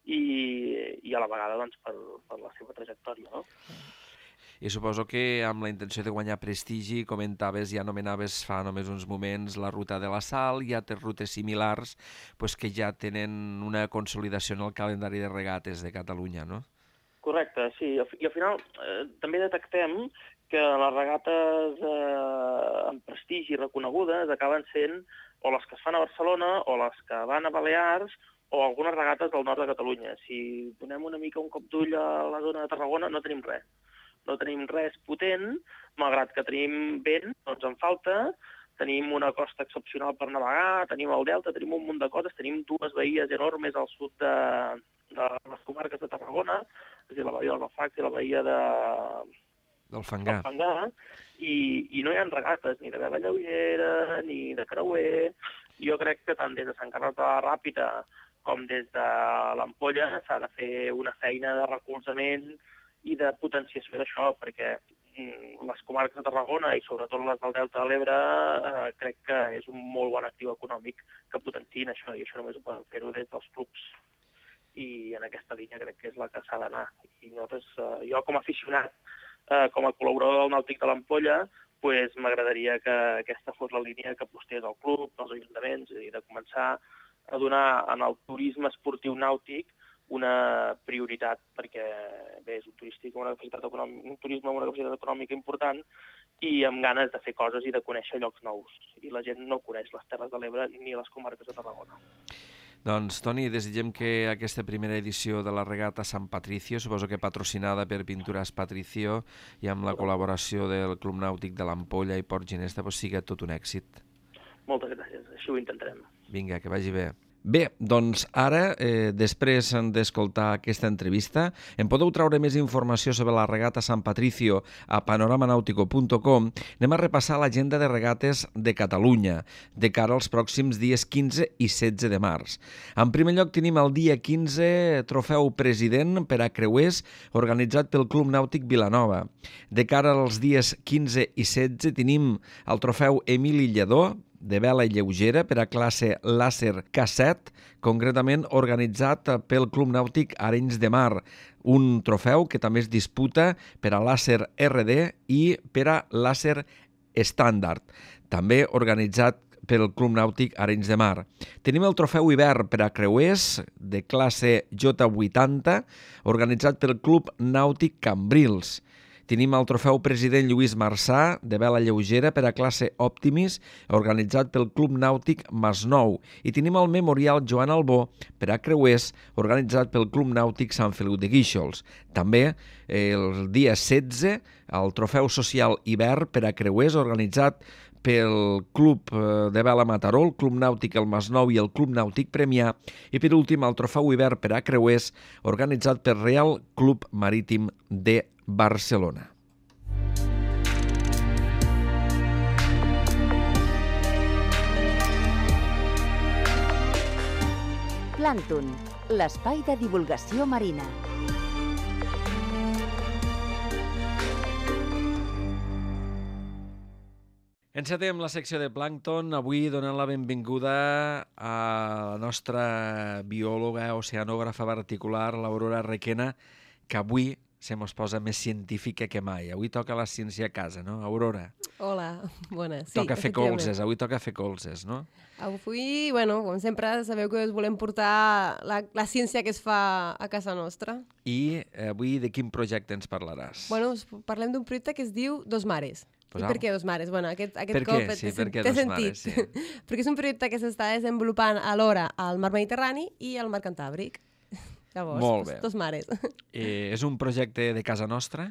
i a la vegada doncs, per la seva trajectòria, no? I suposo que amb la intenció de guanyar prestigi, comentaves i anomenaves fa només uns moments la ruta de la Sal i altres rutes similars pues, que ja tenen una consolidació en el calendari de regates de Catalunya, no? Correcte, sí. I al final també detectem que les regates amb prestigi reconegudes acaben sent o les que es fan a Barcelona o les que van a Balears o algunes regates del nord de Catalunya. Si donem una mica un cop d'ull a la zona de Tarragona no tenim res. No tenim res potent, malgrat que tenim vent, no ens en falta, tenim una costa excepcional per navegar, tenim el delta, tenim un munt de coses, tenim 2 bahies enormes al sud de les comarques de Tarragona, és a dir, la bahia del Bafax i la bahia del Fangar, i no hi ha regates ni de vela lleugera, ni de creuer. Jo crec que tant des de Sant Carles de la Ràpita com des de l'Ampolla s'ha de fer una feina de recolzament i de potenciació d'això, perquè les comarques de Tarragona i sobretot les del Delta de l'Ebre crec que és un molt bon actiu econòmic que potenciïn això, i això només ho poden fer-ho des dels clubs. I en aquesta línia crec que és la que s'ha d'anar. I nosaltres, jo com a aficionat, com a col·laborador del Nàutic de l'Ampolla, pues, m'agradaria que aquesta fos la línia que apostés al club, als ajuntaments, i de començar a donar en el turisme esportiu nàutic una prioritat, perquè bé, és un turisme amb una capacitat econòmica important i amb ganes de fer coses i de conèixer llocs nous. I la gent no coneix les Terres de l'Ebre ni les comarques de Tarragona. Doncs, Toni, desitgem que aquesta primera edició de la regata Sant Patricio, suposo que patrocinada per Pintures Patricio i amb la col·laboració del Club Nàutic de l'Ampolla i Port Ginesta, pues, sigui tot un èxit. Moltes gràcies, així ho intentarem. Vinga, que vagi bé. Bé, doncs ara, després d'escoltar aquesta entrevista, en podeu treure més informació sobre la regata Sant Patricio a panoramanautico.com. Anem a repassar l'agenda de regates de Catalunya de cara als pròxims dies 15 i 16 de març. En primer lloc tenim el dia 15 Trofeu President per a creuers organitzat pel Club Nàutic Vilanova. De cara als dies 15 i 16 tenim el Trofeu Emili Lledó de vela lleugera per a classe Làser K7, concretament organitzat pel Club Nàutic Arenys de Mar, un trofeu que també es disputa per a Làser RD i per a Làser Estàndard, també organitzat pel Club Nàutic Arenys de Mar. Tenim el Trofeu Hivern per a creuers de classe J80, organitzat pel Club Nàutic Cambrils. Tenim el Trofeu President Lluís Marçà, de vela lleugera per a classe Optimis, organitzat pel Club Nàutic Masnou. I tenim el Memorial Joan Albó per a creuers, organitzat pel Club Nàutic Sant Feliu de Guíxols. També el dia 16, el Trofeu Social Hivern per a creuers, organitzat pel Club de Vela Mataró, el Club Nàutic El Masnou i el Club Nàutic Premià, i per últim el Trofeu Hivern per a creuers, organitzat pel Real Club Marítim de Barcelona. Plàncton, l'espai de divulgació marina. Encetem la secció de Plàncton, avui donant la benvinguda a la nostra biòloga, oceanògrafa particular, l'Aurora Requena, que avui se mos posa més científica que mai. Avui toca la ciència a casa, no, Aurora? Hola, bona. Sí, toca fer colzes, avui toca fer colzes, no? Avui, bueno, com sempre, sabeu que us volem portar la ciència que es fa a casa nostra. I avui de quin projecte ens parlaràs? Bueno, parlem d'un projecte que es diu Dos Mares. I per què Dos Mares? Bueno, aquest per cop què? Sí, per què Dos Mares? Sí. Perquè és un projecte que s'està desenvolupant alhora al Mar Mediterrani i al Mar Cantàbric. Llavors, molt bé. Dos Mares. És un projecte de casa nostra?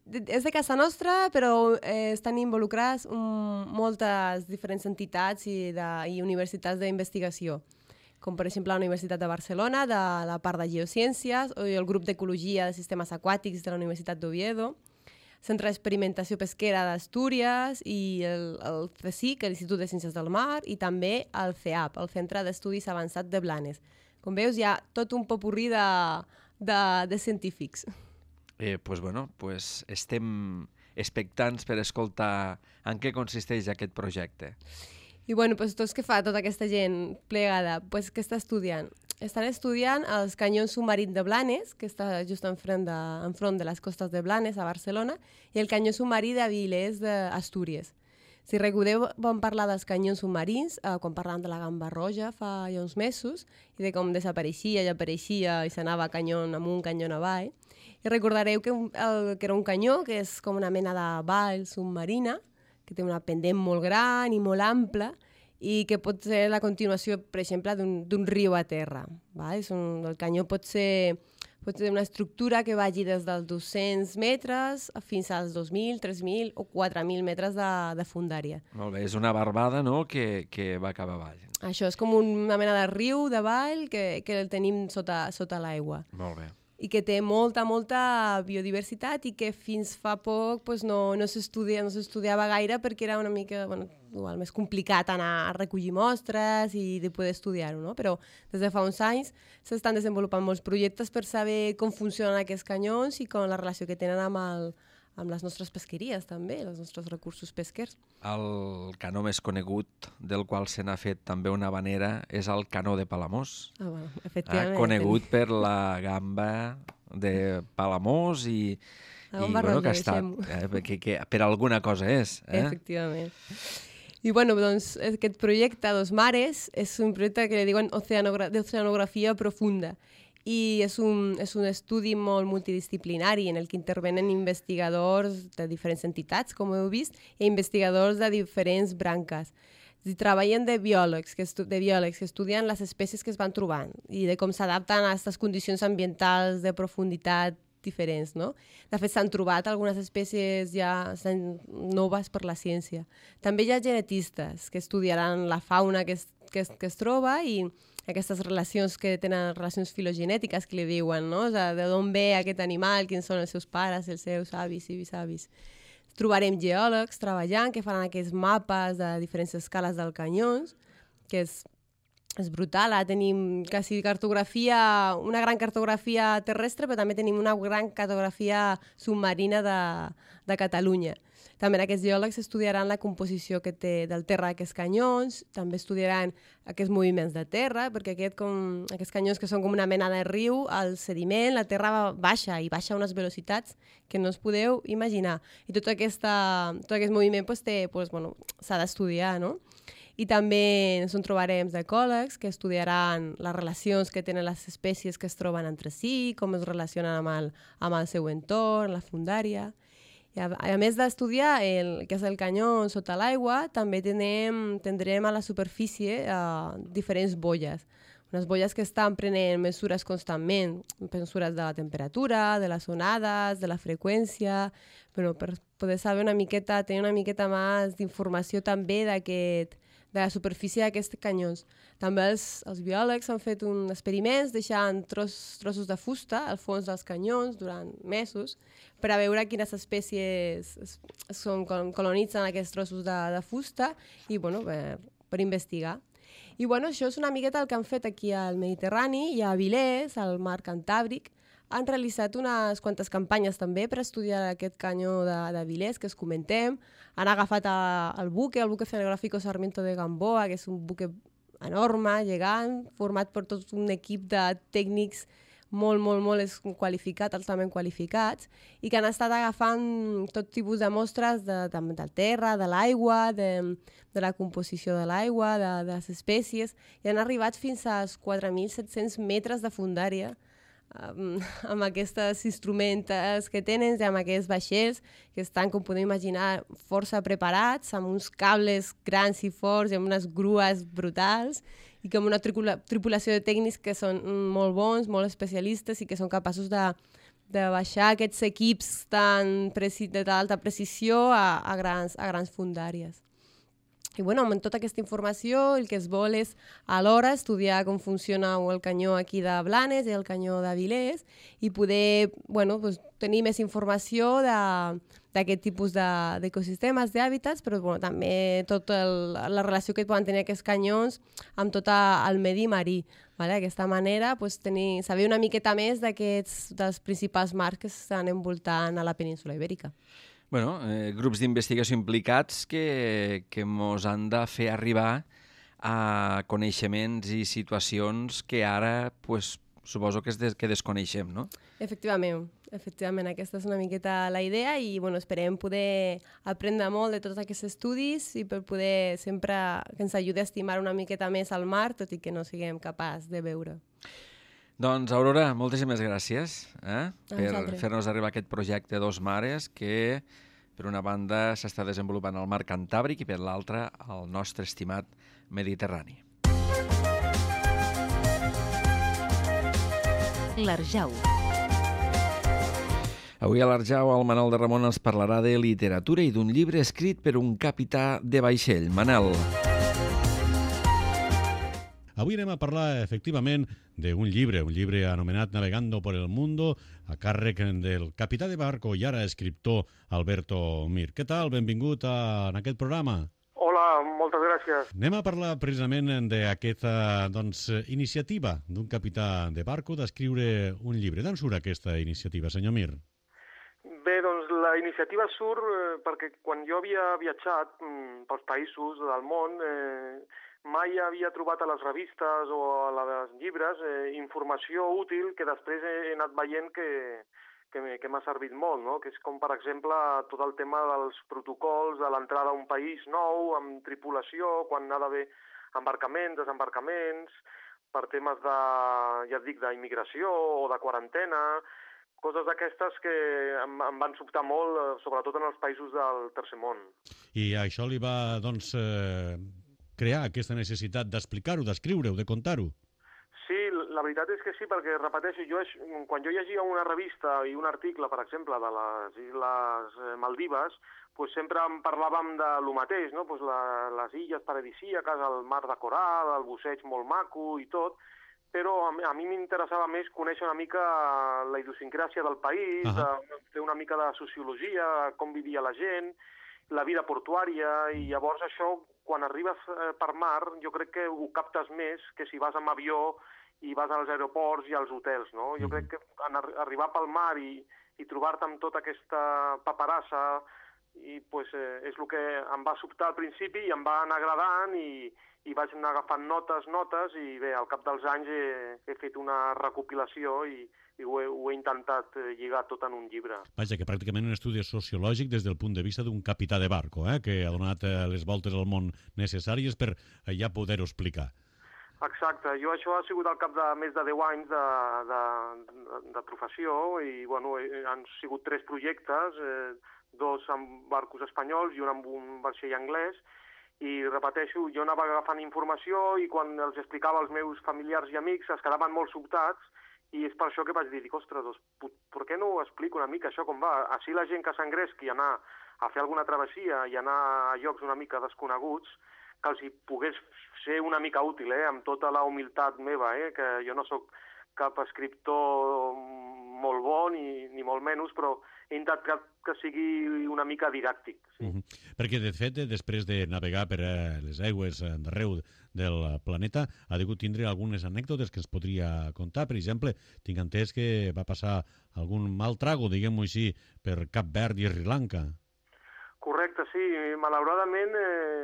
És de casa nostra, però estan involucrats moltes diferents entitats i universitats d'investigació, com per exemple la Universitat de Barcelona, de la part de Geociències, o el grup d'Ecologia de Sistemes Aquàtics de la Universitat d'Oviedo, Centre d'Experimentació Pesquera d'Astúries i el CSIC, l'Institut de Ciències del Mar, i també el CEAP, el Centre d'Estudis Avançats de Blanes, Com veus, hi ha tot un popurrí de científics. Pues estem expectants per escoltar en què consisteix aquest projecte. I doncs què fa tota aquesta gent plegada? Pues què està estudiant? Estan estudiant els canyons submarins de Blanes, que està just enfront de les costes de Blanes, a Barcelona, i el canyó submarí d'Avilés d'Astúries. Si recordeu, vam parlar dels canyons submarins quan parlàvem de la gamba roja fa ja uns mesos i de com desapareixia i apareixia i s'anava canyon amunt, canyon avall. I recordareu que era un canyó que és com una mena de vall submarina, que té una pendent molt gran i molt ampla i que pot ser la continuació, per exemple, d'un riu a terra. El canyó pot ser una estructura que vagi des dels 200 metres fins als 2.000, 3.000 o 4.000 metres de fondària. Molt bé, és una barbada, no?, que va cap avall. Això és com una mena de riu de vall que el tenim sota l'aigua. Molt bé. I que té molta biodiversitat i que fins fa poc no s'estudiava gaire perquè era una mica igual més complicat anar a recollir mostres i de poder estudiar-ho, no? Però des de fa uns anys s'estan desenvolupant molts projectes per saber com funcionen aquests canyons i com la relació que tenen amb les nostres pesqueries també, els nostres recursos pesquers. El canó més conegut del qual se n'ha fet també una vanera és el canó de Palamós. Efectivament. Conegut per la gamba de Palamós i que està, que per alguna cosa és. Efectivament. I aquest projecte Dos Mares és un projecte que li diuen d'oceanografia profunda. I és un estudi molt multidisciplinari en el que intervenen investigadors de diferents entitats, com heu vist, i investigadors de diferents branques. I treballen de biòlegs que estudien les espècies que es van trobant i de com s'adapten a aquestes condicions ambientals de profunditat diferents, no? De fet, s'han trobat algunes espècies ja noves per la ciència. També hi ha genetistes que estudiaran la fauna que es troba i aquestes relacions que tenen relacions filogenètiques que li diuen, no? O sigui, de d'on ve aquest animal, quins són els seus pares, els seus avis i bisavis. Trobarem geòlegs treballant que faran aquests mapes de diferents escales del canyons, que és brutal. Ara tenim quasi una gran cartografia terrestre, però també tenim una gran cartografia submarina de Catalunya. També aquests geòlegs estudiaran la composició que té del terra d'aquests canyons, també estudiaran aquests moviments de terra, perquè aquests canyons que són com una mena de riu, el sediment, la terra baixa i baixa a unes velocitats que no us podeu imaginar. I tot aquest moviment s'ha d'estudiar, no? I també ens trobarem ecòlegs que estudiaran les relacions que tenen les espècies que es troben entre si, com es relacionen amb el seu entorn, la fondària. I a més d'estudiar el que és el canyó sota l'aigua, també tindrem a la superfície diferents boies. Unes boies que estan prenent mesures constantment, mesures de la temperatura, de les onades, de la freqüència, per poder saber tenir una miqueta més d'informació també de la superfície d'aquests canyons. També els biòlegs han fet uns experiments deixant trossos de fusta al fons dels canyons durant mesos per a veure quines espècies colonitzen aquests trossos de fusta i per investigar. I això és una miqueta el que han fet aquí al Mediterrani i a Avilés, al mar Cantàbric. Han realitzat unes quantes campanyes també per estudiar aquest canyó d'Avilés que es comentem. Han agafat el buque Oceanográfico Sarmiento de Gamboa, que és un buque enorme, gegant, format per tot un equip de tècnics molt qualificats, altament qualificats, i que han estat agafant tot tipus de mostres del terra, de l'aigua, de la composició de l'aigua, de les espècies, i han arribat fins als 4.700 metres de fondària, amb aquests instruments que tenen, amb aquests vaixells que estan, com podeu imaginar, força preparats, amb uns cables grans i forts i amb unes grues brutals i com una tripulació de tècnics que són molt bons, molt especialistes i que són capaços de baixar aquests equips d'alta precisió a grans fondàries. I bueno, amb tota aquesta informació el que es vol és alhora estudiar com funciona el canyó aquí de Blanes i el canyó d'Avilés i poder tenir més informació d'aquest tipus d'ecosistemes, d'hàbitats, però també tota la relació que poden tenir aquests canyons amb tot el medi marí. D'aquesta manera, saber una miqueta més dels principals mars que estan envoltant a la península Ibèrica. Grups d'investigació implicats que ens han de fer arribar a coneixements i situacions que ara suposo que desconeixem, no? Efectivament, aquesta és una miqueta la idea i esperem poder aprendre molt de tots aquests estudis i per poder sempre que ens ajudi a estimar una miqueta més el mar, tot i que no siguem capaços de veure. Doncs, Aurora, moltíssimes gràcies per fer-nos arribar aquest projecte Dos Mares que, per una banda, s'està desenvolupant al mar Cantàbric i, per l'altra, al nostre estimat Mediterrani. L'Arjau. Avui a l'Arjau el Manel de Ramon ens parlarà de literatura i d'un llibre escrit per un capità de vaixell. Manel. Avui anem a parlar, efectivament, d'un llibre anomenat Navegando por el Mundo, a càrrec del capità de barco i ara escriptor Alberto Mir. Què tal? Benvingut en aquest programa. Hola, moltes gràcies. Anem a parlar precisament d'aquesta iniciativa d'un capità de barco d'escriure un llibre. D'on surt aquesta iniciativa, senyor Mir? Bé, doncs la iniciativa surt perquè quan jo havia viatjat pels països del món mai havia trobat a les revistes o a les llibres informació útil que després he anat veient que m'ha servit molt, no? Que és com, per exemple, tot el tema dels protocols de l'entrada a un país nou, amb tripulació, quan ha d'haver embarcaments, desembarcaments, per temes d'immigració o de quarantena, coses d'aquestes que em van sobtar molt, sobretot en els països del tercer món. I això li va, crear aquesta necessitat d'explicar-ho, d'escriure-ho, de contar-ho? Sí, la veritat és que sí, perquè, repeteixo, quan jo llegia una revista i un article, per exemple, de les Illes Maldives, sempre en parlàvem de lo mateix, no? Les illes paradisíaques, el mar de coral, el busseig molt maco i tot, però a mi m'interessava més conèixer una mica la idiosincràsia del país, fer una mica de sociologia, com vivia la gent, la vida portuària, i llavors això, quan arribes per mar, jo crec que ho captes més que si vas amb avió i vas als aeroports i als hotels, no? Jo crec que arribar pel mar i trobar-te amb tota aquesta paperassa és el que em va sobtar al principi i em va anar agradant i vaig anar agafant notes i bé, al cap dels anys he fet una recopilació i ho he intentat lligar tot en un llibre. Vaja, que pràcticament un estudi sociològic des del punt de vista d'un capità de barco, que ha donat les voltes al món necessàries per ja poder-ho explicar. Exacte, jo això ha sigut al cap de més de 10 anys de professió i han sigut 3 projectes, 2 amb barcos espanyols i un amb un vaixell anglès, i repeteixo, jo anava agafant informació i quan els explicava als meus familiars i amics es quedaven molt sobtats i és per això que vaig dir, ostres, per què no ho explico una mica això com va? Així la gent que s'engresqui a anar a fer alguna travessia i anar a llocs una mica desconeguts, que els hi pogués ser una mica útil, amb tota la humilitat meva, que jo no sóc cap escriptor molt bo, ni molt menys, però he intentat que sigui una mica didàctic. Sí. Perquè, de fet, després de navegar per les aigües d'arreu del planeta, ha degut tindre algunes anècdotes que ens podria contar. Per exemple, tinc entès que va passar algun mal trago, diguem-ho així, per Cap Verd i Sri Lanka. Correcte, sí. Malauradament,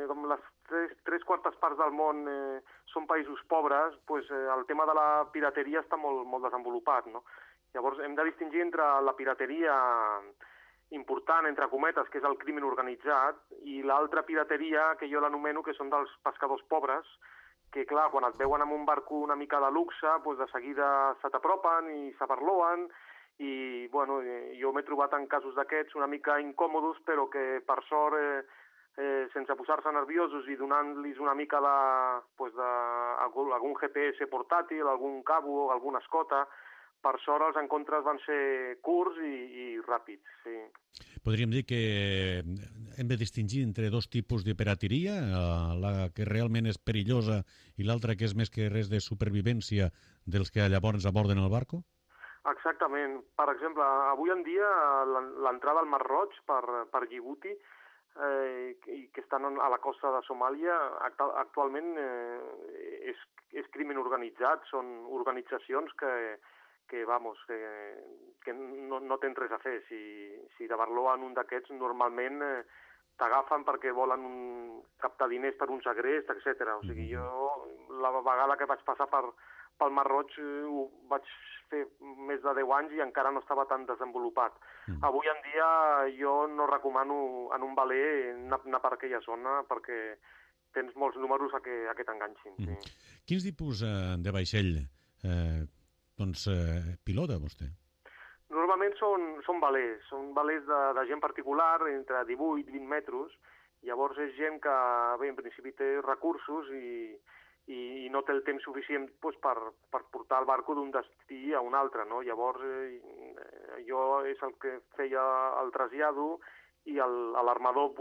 com les 3/4 parts del món són països pobres, el tema de la pirateria està molt desenvolupat, no? Llavors hem de distingir entre la pirateria important, entre cometes, que és el crimen organitzat, i l'altra pirateria, que jo l'anomeno, que són dels pescadors pobres, que, clar, quan et veuen amb un barco una mica de luxe, de seguida se t'apropen i s'aparloen, i, jo m'he trobat en casos d'aquests una mica incòmodos, però que, per sort, sense posar-se nerviosos i donant-los una mica algun GPS portàtil, algun cabo, alguna escota, per sort els encontres van ser curts i ràpids, sí. Podríem dir que hem de distingir entre dos tipus de pirateria, la que realment és perillosa i l'altra que és més que res de supervivència dels que llavors aborden el barco? Exactament. Per exemple, avui en dia l'entrada al Mar Roig per Djibouti i que estan a la costa de Somàlia actualment és crimen organitzat, són organitzacions que no tens res a fer. Si de Barló en un d'aquests normalment t'agafen perquè volen captar diners per un segrest, etc. O sigui, jo la vegada que vaig passar pel Mar Roig ho vaig fer més de 10 anys i encara no estava tan desenvolupat. Avui en dia jo no recomano en un veler anar per aquella zona perquè tens molts números a que t'enganxin. Sí. Quins tipus de vaixell pilota vostè? Normalment són velers de gent particular, entre 18 i 20 metres. Llavors és gent que, bé, en principi té recursos i no té el temps suficient per portar el barco d'un destí a un altre, no? Llavors jo és el que feia el trasllado i l'armador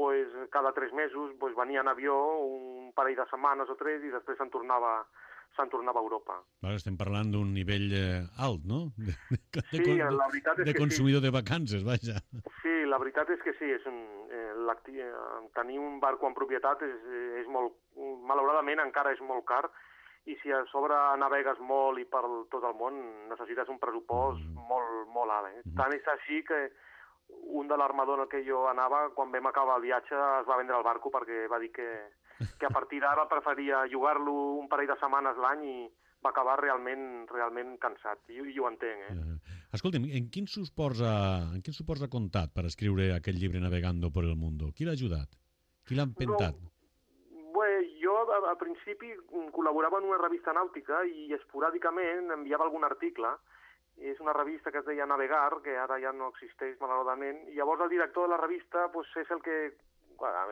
cada 3 mesos venia en avió un parell de setmanes o 3 i després se'n tornava a Europa. Estem parlant d'un nivell alt, no? Sí, la veritat és que consumidor de vacances, vaja. Sí, la veritat és que sí. Tenir un barco en propietat és molt... Malauradament encara és molt car i si a sobre navegues molt i per tot el món necessites un pressupost molt alt. Tant és així que un de l'armador en el que jo anava, quan vam acabar el viatge, es va vendre el barco perquè va dir que a partir d'ara preferia jugar-lo un parell de setmanes l'any i va acabar realment cansat. I ho entenc, Escolta'm, en quins suports ha comptat per escriure aquest llibre Navegando por el Mundo? Qui l'ha ajudat? Qui l'ha empentat? Jo al principi col·laborava en una revista nàutica i esporàdicament enviava algun article. És una revista que es deia Navegar, que ara ja no existeix malauradament, i llavors el director de la revista és el que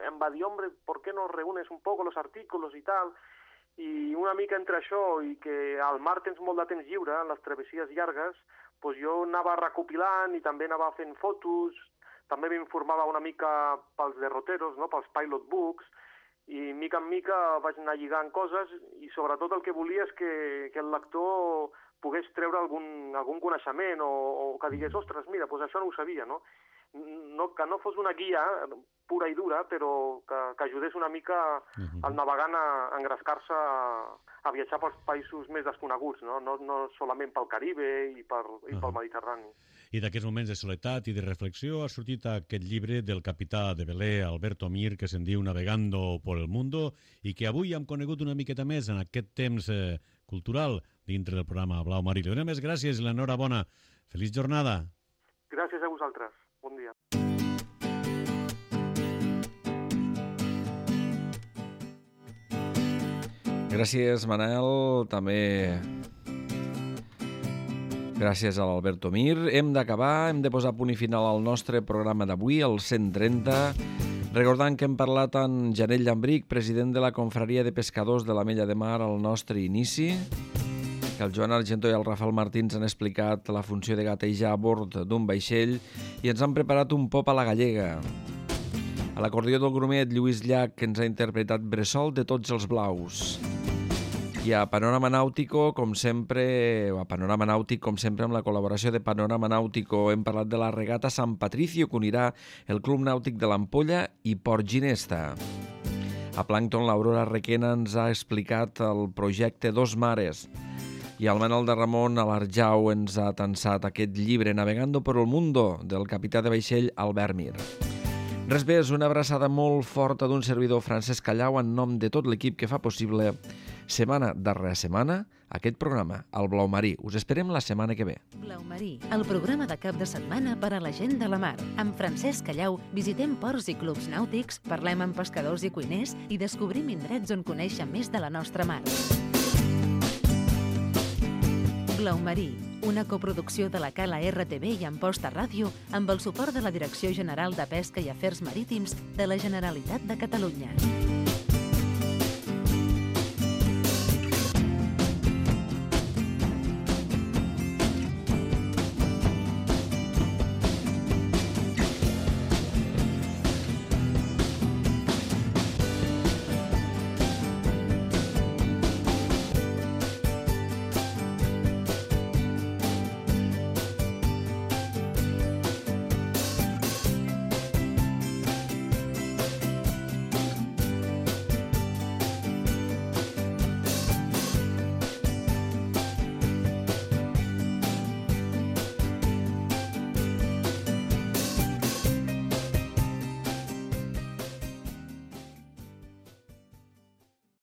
em va dir, hombre, ¿por qué no reúnes un poco los artículos y tal? I una mica entre això i que al mar tens molt de temps lliure, en les travessies llargues, jo anava recopilant i també anava fent fotos, també m'informava una mica pels derroteros, no? Pels pilot books, i mica en mica vaig anar lligant coses i sobretot el que volia és que el lector pogués treure algun coneixement o que digués, ostres, mira, això no ho sabia, no? Que no fos una guia pura i dura, però que ajudés una mica al navegant a engrescar-se a viatjar pels països més desconeguts, no solament pel Caribe i pel Mediterrani. I d'aquests moments de soledat i de reflexió ha sortit aquest llibre del capità de veler, Alberto Mir, que se'n diu Navegando por el Mundo i que avui hem conegut una miqueta més en aquest temps cultural dintre del programa Blau Marí. Li donem més gràcies i l'enhorabona. Feliç jornada. Gràcies a vosaltres. Bon dia. Gràcies, Manel. També gràcies a l'Alberto Mir. Hem d'acabar, hem de posar punt i final al nostre programa d'avui, el 130, recordant que hem parlat amb Janell Llambric, president de la Confraria de Pescadors de l'Ametlla de Mar, al nostre inici, que el Joan Argentó i el Rafael Martins han explicat la funció de gatejar a bord d'un vaixell i ens han preparat un pop a la gallega. A l'acordió del grumet, Lluís Llach, que ens ha interpretat Bressol de tots els blaus. I a Panorama Nàutico, com sempre, amb la col·laboració de Panorama Nàutico, hem parlat de la regata Sant Patricio, que unirà el Club Nàutic de l'Ampolla i Port Ginesta. A Plàncton, l'Aurora Requena ens ha explicat el projecte Dos Mares. I el Manel de Ramon a l'Arjau ens ha tensat aquest llibre Navegando por el Mundo, del capità de vaixell Albert Mir. Res més, una abraçada molt forta d'un servidor, Francesc Callau, en nom de tot l'equip que fa possible setmana darrere setmana aquest programa, el Blau Marí. Us esperem la setmana que ve. Blau Marí, el programa de cap de setmana per a la gent de la mar. Amb Francesc Callau visitem ports i clubs nàutics, parlem amb pescadors i cuiners i descobrim indrets on conèixer més de la nostra mar. Blau Marí, una coproducció de la Cala RTV i Amposta Ràdio amb el suport de la Direcció General de Pesca i Afers Marítims de la Generalitat de Catalunya.